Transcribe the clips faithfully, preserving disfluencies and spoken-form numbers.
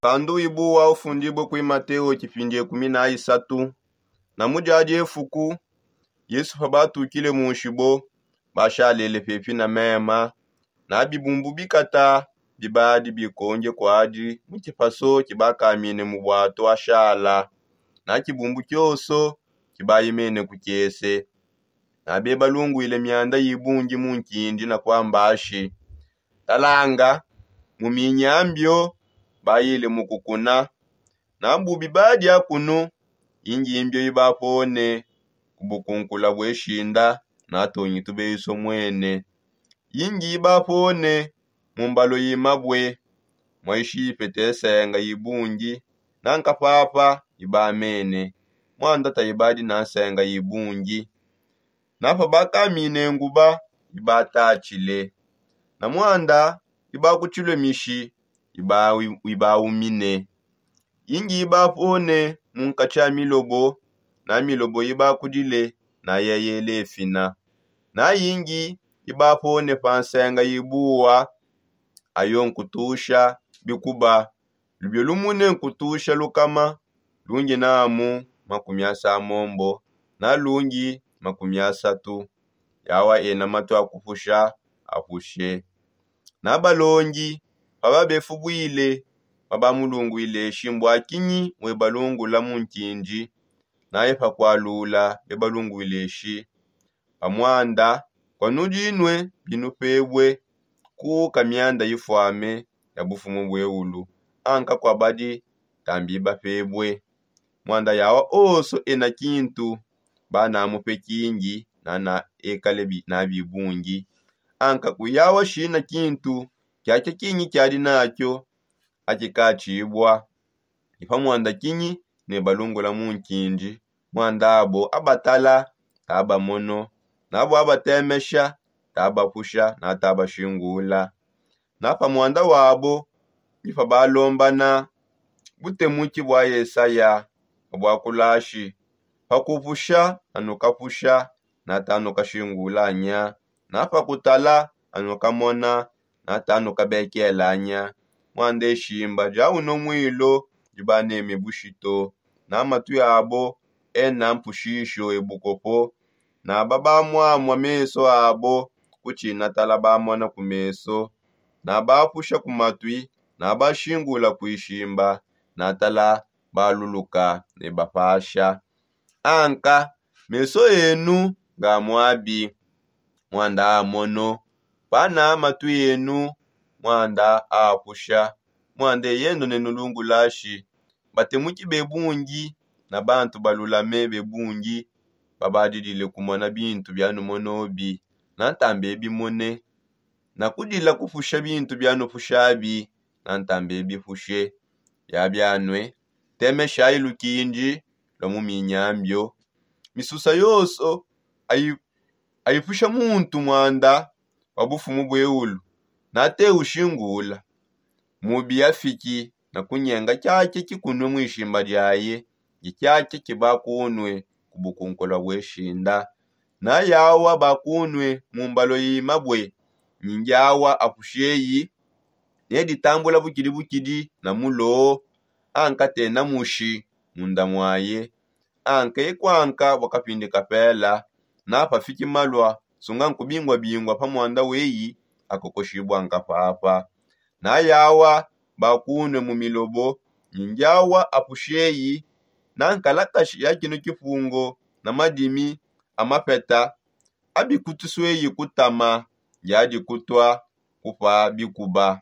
Pandu ibuwa ufundibue kui mateo kipindi ekumi na isatu. Na mu diadi efuku, yesu pabatukile munshibo, bashalele pepi na mema. Na bibumbu bikata bibadi bikonge kuadi mu kipaso kibakamine mu buatu ashala. Na kibumbu kioso kibayimene ku kiese. Na bebalungwile mianda yibungi mu nkindi na kuamba ashi, talanga, mu minyambio bayile mu kukuna. Na bubi badia kunu, ingimbio ibapone ku bukunkula bweshinda, na tongi tubeiso mwene. Ingi ibapone mu mbalo yimabwe, mwaishipe tesenga yibungi, na nkapapa ibamene, mwanda taibadi na nsenga yibungi. Na pabakamine nguba, ibatatshile. Na mwanda ibakutilwe mishi, ibaumine. Ingi ibapone mu nkatshi a milobo, na milobo ibakudile, na yeyele efina. Na ingi ibapone pa nsenga ibuwa, ayo nkutusha bikuba. Lubio lumune nkutusha lukama, lungi namu makumi asamombo, na lungi makumi asatu. Yawa ena matu a kupusha, apushe. Na balongi pababefubwile, pabamulungwile shi mbua kinyi webalungula mu nkindi? Naye pakualula bebalungwile shi, pa mwanda, kuanudinue binupebue, kuuka mianda ifuame ya bufumu bueulu, anka kuabadi tambi bapebue. Mwanda yawa oso ena kintu, banamupe kingi, nana ekale na bibungi. Anka kuyawa shina kintu kiakia kingi kiadi nakio, akikatshibua. Ipamwanda kinyi ne balungula mu nkindi? Mwanda abo abatala, tabamono, nabo abatemesha, tabapusha na tabashingula. Na pamwanda wabo ipabalombana butemuki bwa yesaya, bwakulashi, pakupusha anukapusha, na tanukashingulanya, na pakutala anukamona, na tanukabekelanya. Mwanda eshimba dia uno mwilo dibaneme bushito, na matwi abo ena mpushisho ebukopo, na babamwamwa meso abo kutshinatala bamona ku meso, na bapusha ku matwi, na bashingula ku ishimba, na tala baluluka ne bapasha. Anka meso enu nga mwabi, mwanda amono, pana matu enu, mwanda apusha. Mwanda eyendo nenulungulashi, batemuki bebungi, na bantu balulame bebungi, babadidile kumona bintu bianumonobi, na ntambe bimone, na kudila kupusha bintu bianupushabi, na ntambe bipushe. Yabianue, temeshayi lukindi lua mu minyambio. Misusa yonso ayi- ayipusha muntu mwanda wa bufumu bueulu, nate ushingula. Mubi afiki na kunyenga kiake kikunue mu ishimba diaye, ndi kiake kibakunue ku bukunkulua bueshinda. Na yawa bakunue mu mbalo yimabue, ndi awa apusheyi, neditambula bukidi bukidi na mulo, anka tena mushi munda muaye. Anka ekuanka bua kapindi kapela, na pafiki malua sunga nkubingua-bingua pa mwanda weyi, akokoshibua nkapapa. Na yawa bakunue mu milobo, ndi awa apusheyi, na nkalakashi ya kino kipungo na madimi a mapeta, abikutusweyi kutama, ndi adikutua kupa bikuba.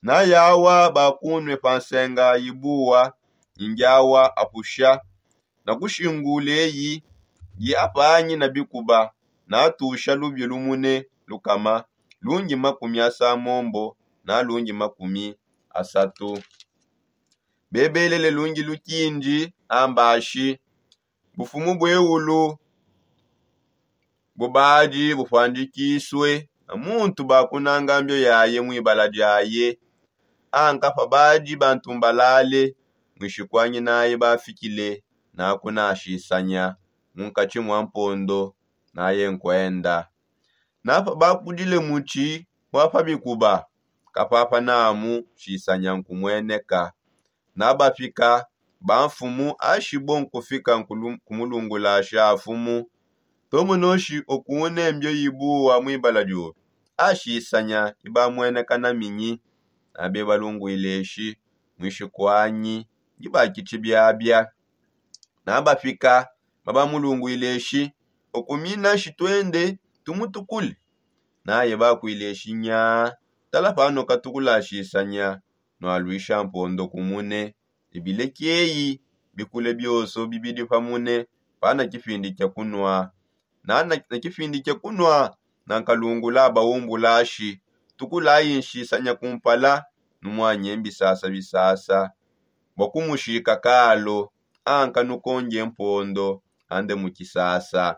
Na yawa bakunue pa nsenga yibuwa, ndi awa apusha, na kushinguleyi, ndi apangi na bikuba, na atusha lubio lumune lukama, lungi makumi asamombo, na lungi makumi asatu. Bebelele lungi lukindi, ambashi, bufumu bueulu bubadi bupandikisue, na muntu bakunanga mbio yaye mu ibala diaye. Anka pabadi bantumbalale, muishikuanyinaye bafikile, nakunashisanya munkatshi mua mpondo, naye nkuenda. Na pabakudile mutshi wa pa bikuba, kapapa namu shisanya nkumueneka. Nabafika bamfumu ashibo nkufika kumulungulashi afumu. Tomonoshi okune mbio ibuwa mwibala diobe ashisanya ibamweneka na minyi. Nabe balungwile shi mwishi kwanyi ndibakitshi biabia. Nabafika babamulungwile shi okumina shi twende tumutukule. Naye bakwile shi nya tala pano katukulashisanya nwalwisha mpondo kumune. Ibilekieyi bikule bioso bibidi pamune pana kipindi kia kunwa. Na kipindi kia kunwa nankalungula baumbulashi tukulayi nshisanya kumpala. Numwanye mbisasa bisasa bua kumushika kalo anka nukonge mpondo ande mu kisasa.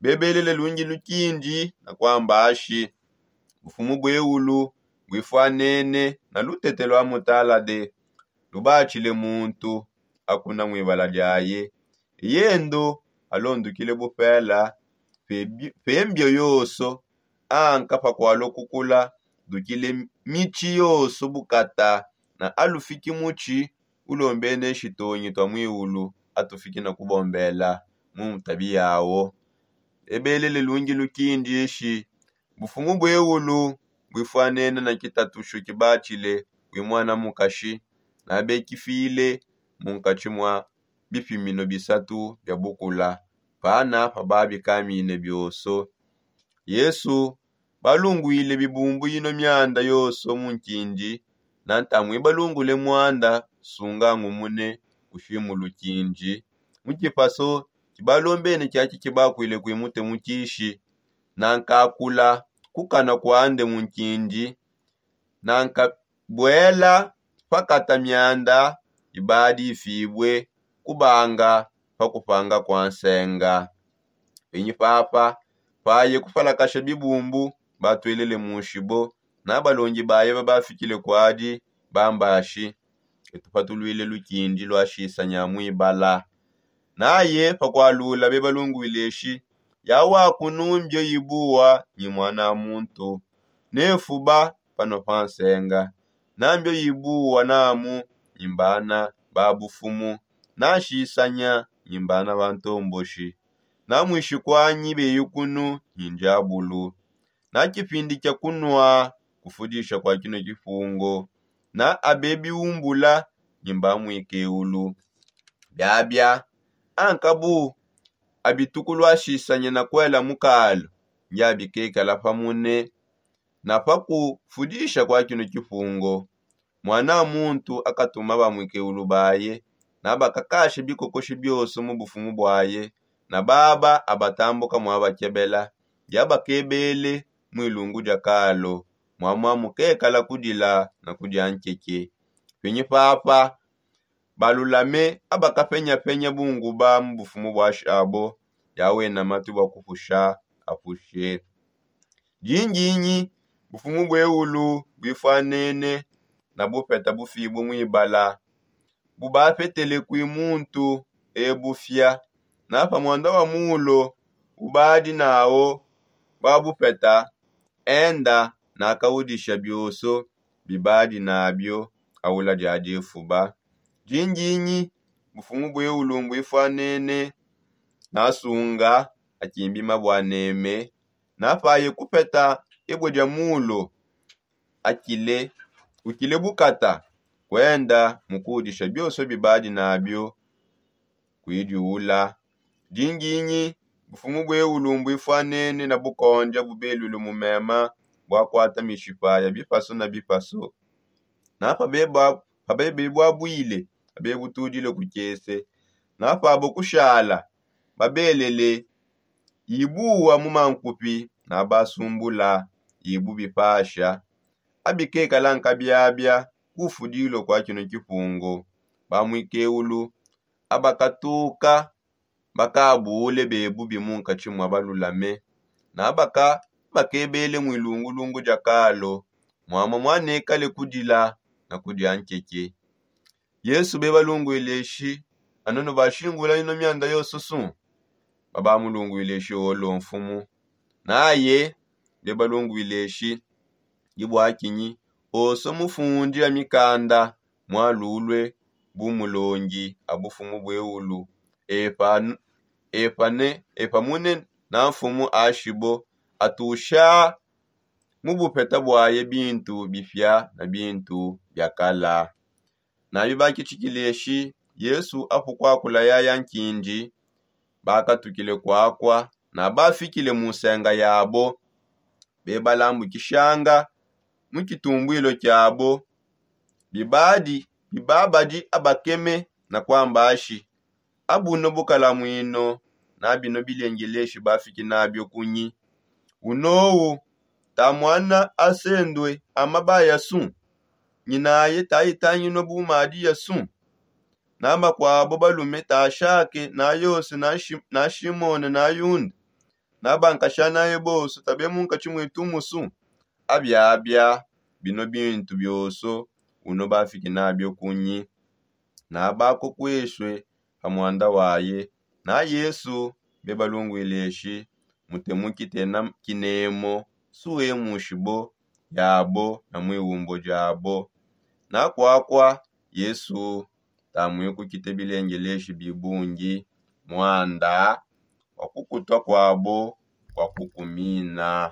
Bebelele lungi lukindi na kwamba ashi bufumu bueulu buifwanene na lutete lua mutalade lubatshile muntu akuna mwibala diaye. Yendo alondukile bupela pembio yoso anka pakualua kukula dukile mitshi yoso bukata na alufiki mutshi ulombene shitonyi tua mwiulu atufiki na kubombela mu mutabi yawo. Ebelele lungi lukindi eshi bufumu bueulu buifwanene na kitatushu kibatshile bui muana mukashi nabekifile munkatshi mua bipimino bisatu bia bukula pana pababikamine bioso. Yesu balungwile bibumbu ino mianda yoso mu nkindi na ntamu ibalungule muanda sunga ngumune kushimulu kindi mu kipaso kibalombene kiaki kibakwile kuimute mu kishi. Nankakula kukana kuande mu nkindi nankabuela pakata mianda ibadi ifibue kubanga pa kupanga kua nsenga. Penyi papa paye kupalakasha bibumbu batwelele mushibo na balongi baye babafikile kuadi bambashi etu patulwile lukindi luashisanya mwibala. Naye pakualula bebalungwile shi yawaku numbio ibuwa nyi muana muntu nefuba pano pa nsenga nambio ibuwa namu nyi mbana ba bufumu nashisanya nyi mbana ba ntomboshi namwishi kwanyi beyukunu nyi ndiabulu. Na kipindi kia kunua kufudisha kua kino kipungo na abebiumbula nyi mba mwikeulu biabia ankabu abitukulua shisanya na kuela mukalu ndi abikekala pamune. Na pa kufudisha kua kino kipungo muana muntu akatuma ba mwikeulu baye na bakakashe bikokoshi bioso mu bufumu buaye na baba abatambuka muabakebela ndi abakebele mu ilungu dia kalo muamua mukekala kudila na kudia nkeke. Penyi papa balulame abakapenyapenya bunguba mu bufumu bua shabo ndi awena matu bua kupusha apushe. Dindinyi bufumu bueulu buifuanene na bupeta bufibue muibala bubapetele kui muntu ebufia na pa muanda wa mulo ubadi nawo bua bupeta enda nakawudisha bioso bibadi nabio aula dia difuba. Dindinyi bufumu bueulu mbuifuanene nasunga akimbi mabua neme na paye kupeta ebue dia mulo akile ukile bukata kuenda mukudisha bioso bibadi nabio kuidiula. Dindinyi bufumu bueulu mbuifuanene na bukondia bubelule mu mema buakuata mishipa ya bipasu na bipasu na pabebebua buile pabebutudile ku kiese na pabo kushala babelele ibuwa mu mankupi na basumbula ibu bipasha abikekala nkabiabia kufudilua kua kino kipungu. Ba mwikeulu abakatuka bakabule bebubi munkatshi mua balulame na baka bakebele mu ilungulungu dia kalo muamua muanekale kudila na kudia nkeke. Yesu bebalungwile shi anu nubashingula ino mianda yoso su babamulungwile shi olo mfumu naye bebalungwile shi dibuakinyi oso mufundi a mikanda mwalulue bu mulongi a bufumu bueulu. Epa ne epa mune na mfumu ashibo atusha mu bupeta buaye bintu bipia na bintu biakala. Na bibakitshikile shi yesu apukuakula yaya nkindi bakatukile kuakua na bafikile mu nsenga yabo bebalambukishanga mu kitumbuilo kiabo bibadi bibabadi abakeme na kuamba ashi abuno bukalamuino na bino bilengeleshi bafiki nabio kunyi? Unowu ta muana asendue amabaya su? Nyinaye tayitangino bumadi ya su? Na makuabo balume tashake na yose na shimone na yunda na bankashanaye bonso tabe munkatshi muitumusu? Abiabia bino bintu bionso uno bafiki nabio kunyi? Na bakukueshue pa muanda waye na yesu bebalungwile shi mutemukite na kinemo suwe mushibo yabo na muiwumbo diabo. Na kuakua yesu tamuikukite bilengeleshi bibungi muanda wa kukutua kuabo kua kukumina.